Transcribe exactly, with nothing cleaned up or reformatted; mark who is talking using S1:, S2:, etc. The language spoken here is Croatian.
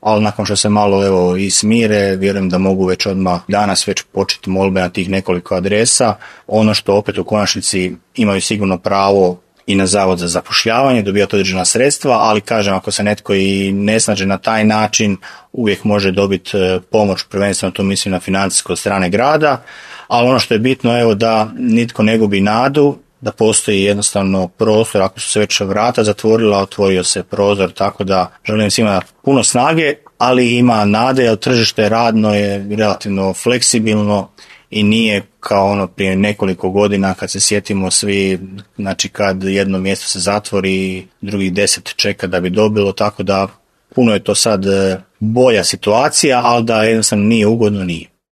S1: ali nakon što se malo evo i smire, vjerujem da mogu već odmah danas već početi molbe na tih nekoliko adresa. Ono što opet u konačnici imaju sigurno pravo i na Zavod za zapošljavanje, dobijati određena sredstva, ali kažem, ako se netko i ne snađe na taj način, uvijek može dobiti pomoć, prvenstveno tu mislim na financijsko od strane grada, ali ono što je bitno, evo, da nitko ne gubi nadu, da postoji jednostavno prostor, ako su se već vrata zatvorila, otvorio se prozor, tako da želim svima puno snage, ali ima nade, jer tržište radno je relativno fleksibilno i nije kao ono prije nekoliko godina kad se sjetimo svi, znači kad jedno mjesto se zatvori, drugih deset čeka da bi dobilo, tako da puno je to sad bolja situacija, ali da jednostavno nije ugodno, nije.